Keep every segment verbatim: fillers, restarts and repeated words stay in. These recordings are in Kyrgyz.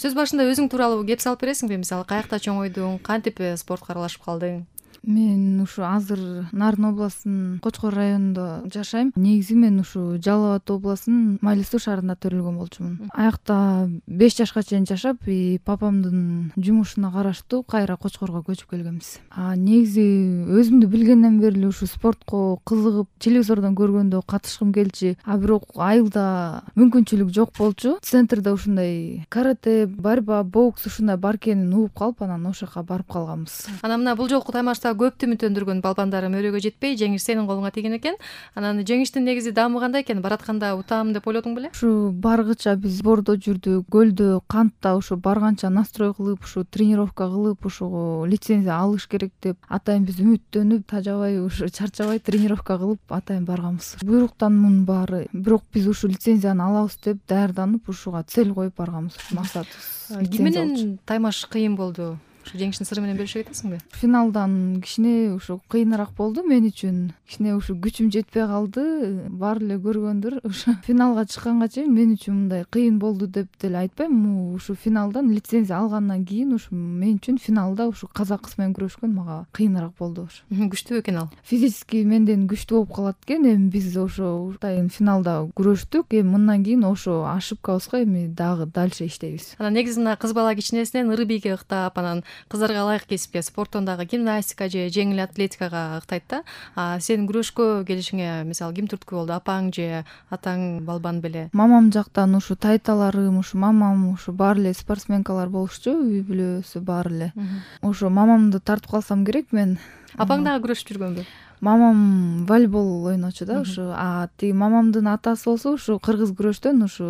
Сөз башында өзүң тууралуу кеп салып бересиңби? Мисалы, каякта чоңойдуң, кантип спортко аралашып калдың? Мен ушу азыр Нарын областынын Кочкор районунда жашайм. Негизи мен ушу Жалал Абад областынын Майли Суу шаарында төрөлгөн болчумун. Аякта беш жашка чейин жашап, папамдын жумушуна караштуу кайра Кочкорго көчүп келгенбиз. А негизи өзүмдү билгенден бери эле ушу спортко кызыгып, телевизордон көргөндө катышкым келчү. А бирок айылда мүмкүнчүлүк жок болчу. Центрде ушундай карате, борьба, бокс ушундай бар экенин угуп калып, анан ошол жака барып калганбыз. Анан мына бул жолку таймашта көптү үмүттөндүргөн балбандарым өрөөгө жетпей, жеңиш сенин колуңа тийген экен. Анан жеңиштин негизи даамы кандай экен? Баратканда утам деп ойлодуң беле? Ушу баргыча биз бордо жүрдүк, көлдө, кантта ушу барганча настрой кылып, ушу тренировка кылып, ушуга лицензия алыш керек деп атайын биз үмүттөнүп, тажабай, ушу чарчабай тренировка кылып атайын барганбыз. Буйруктан мунун баары. Бирок биз ушу лицензияны алабыз деп даярданып, ушуга цель коюп барганбыз. Максатыбыз. Ким менен таймаш кыйын болду? Ушу жеңиштин сыры менен бөлүшө кетесиңби? Финалдан кичине ушу кыйыныраак болду мен үчүн. Кичине ушу күчүм жетпей калды. Баары эле көргөндүр. Ушу финалга чыкканга чейин мен үчүн мындай кыйын болду деп деле айтпайм. Ушу финалдан лицензия алгандан кийин ушу мен үчүн финалда ушу казак кыз менен күрөшкөн мага кыйыныраак болду. Ушу Күчтүү экен ал. Физически менден күчтүү болуп калат экен. Эми биз ошо атайын финалда күрөштүк. Эми мындан кийин ошо ошибкабызга эми дагы дальше иштейбиз. Анан негизи мына кыз бала кичинесинен ыры бийге ыктап, анан кыздарга ылайык кесипке, спорттон дагы гимнастика же жеңил атлетикага ыктайт да. А сен күрөшкө келишиңе мисалы ким түрткү болду? Апаң же атаң балбан беле? Мамам жактан ушу тайталарым, ушу мамам ушу баары эле спортсменкалар болушчу, үй бүлөсү баары эле. Ошо мамамды тартып калсам керек мен. Апаң дагы күрөшүп жүргөнбү? Мамам волейбол ойночу да, ушу. А тиги мамамдын атасы болсо ушу кыргыз күрөштөн ушу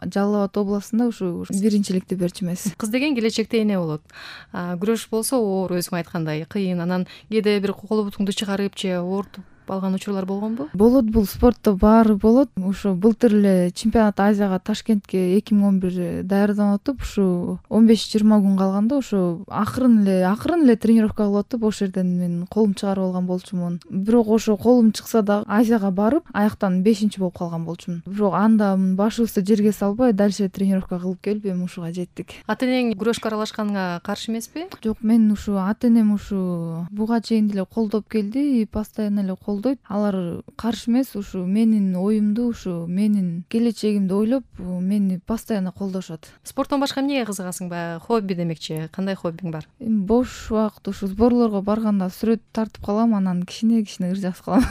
Жалал Абад областында ушу биринчиликти берчү эмес. Кыз деген келечекте эне болот. Күрөш болсо оор, өзүң айткандай кыйын. Анан кээде бир кол бутуңду чыгарып же оорутуп алган учурлар болгонбу? Болот, бул спортто баары болот. Ушу былтыр эле чемпионат Азияга Ташкентке эки миң он бир даярданып атып, ушу он беш жыйырма күн калганда ошо акырын эле акырын эле тренировка кылып атып, ошол жерден мен колум чыгарып алган болчумун. Бирок ошо колум чыкса да Азияга барып, аяктан бешинчи болуп калган болчумун. Бирок анда башыбызды жерге салбай, дальше тренировка кылып келип, эми ушуга жеттик. Ата-энең күрөшкө аралашканыңа каршы эмеспи? Жок, мен ушу ата-энем ушу буга чейин деле колдоп келди, постоянно эле колдойт. Алар каршы эмес, ушу менин оюмду, ушу менин келечегимди ойлоп, мени постоянно колдошот. Спорттон башка эмнеге кызыгасың? Баягы хобби демекчи. Кандай хоббиң бар? Эми бош убакыт ушу сборлорго барганда сүрөт тартып калам, анан кичине-кичине ыр жазып калам.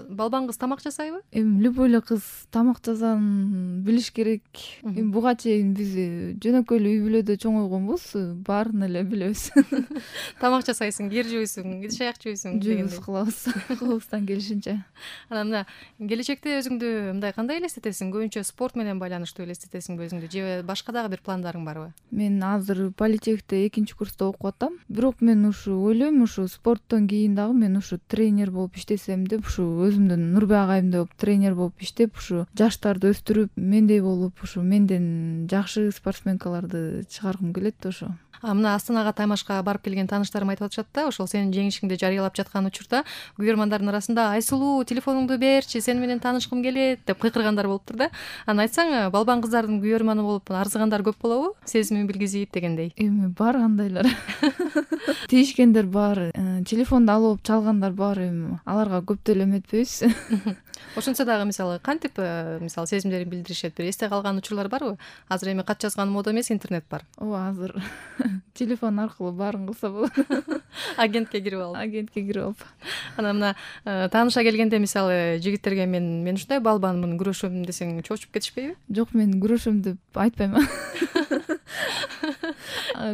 Балбан кыз тамак жасайбы? Эми любой эле кыз тамак жасаарын билиш керек. Эми буга чейин биз жөнөкөй эле үй бүлөдө чоңойгонбуз, баарын эле билебиз. Тамак жасайсың, кир жууйсуң, идиш аяк жууйсуң дегендей. Жуйбуз, кылабыз, колубуздан келишинче. Анан мына келечекте өзүңдү мындай кандай элестетесиң? Көбүнчө спорт менен байланыштуу элестетесиңби өзүңдү же башка дагы бир пландарың барбы? Мен азыр политехте экинчи курста окуп атам. Бирок мен ушу ойлойм, ушу спорттон кийин дагы мен ушу тренер болуп иштесем деп, ушу өзүмдүн Нурбек агайымдай болуп тренер болуп иштеп, ушу жаштарды өстүрүп, мендей болуп, ушу менден жакшы спортсменкаларды чыгаргым келет ошо. А мына Астанага таймашка барып келген тааныштарым айтып атышат да, ошол сенин жеңишиңди жарыялап жаткан учурда көрөрмандардын арасында Айсулуу, телефонуңду берчи, сени менен таанышкым келет деп кыйкыргандар болуптур да. Анан айтсаң, балбан кыздардын көрөрманы болуп арзыгандар көп болобу? Сезимин билгизип дегендей. Эми бар андайлар. Тийишкендер бар, телефонду алып чалгандар бар, эми аларга көп деле эметпейбиз. Ошентсе дагы мисалы кантип мисалы сезимдерин билдиришет? Бир эсте калган учурлар барбы? Азыр эми кат жазган мода эмес, интернет бар. Ооба, азыр телефон аркылуу баарын кылса болот. Агентке кирип алып. Агентке кирип алып. Анан мына тааныша келгенде мисалы жигиттерге мен мен ушундай балбанмын, күрөшөм десең чочуп кетишпейби? Жок, мен күрөшөм деп айтпайм.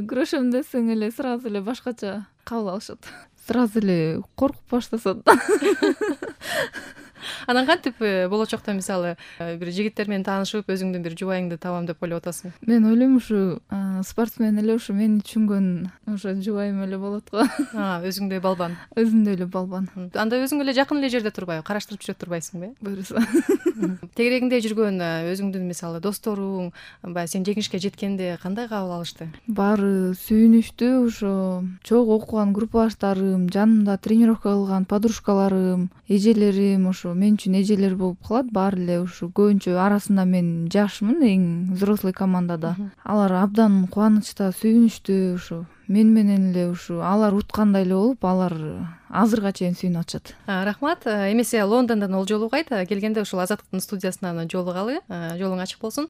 Күрөшөм десең эле сразу эле башкача кабыл алышат. Сразу эле коркуп башташат. Анан кантип болочокто мисалы бир жигиттер менен таанышып, өзүңдүн бир жубайыңды табам деп ойлоп атасың? Мен ойлойм, ушу спортсмен эле ушу мени түшүнгөн ошо жубайым эле болот го. А, өзүңдөй балбан. Өзүмдөй эле балбан. Анда өзүң эле жакын эле жерде турбайбы? Караштырып жүрө турбайсыңбы? Буюрса. Тегерегиңде жүргөн өзүңдүн мисалы досторуң, баягы сен жеңишке жеткенде кандай кабыл алышты? Баары сүйүнүштүү, ошо чогуу окуган группалаштарым, жанымда тренировка кылган подружкаларым, эжелерим, ошо мен үчүн эжелер болуп калат. Баары эле ушу көбүнчө арасында мен жашмын, эң взрослый командада. Алар абдан кубанычта, сүйүнүчтүү, ушу мен менен эле ушу алар уткандай эле болуп, алар азырга чейин сүйүнүп атышат. Рахмат. Эмесе Лондондон ол жолу кайт келгенде ушул Азаттыктын студиясынан жолугалы. Жолуң ачык болсун.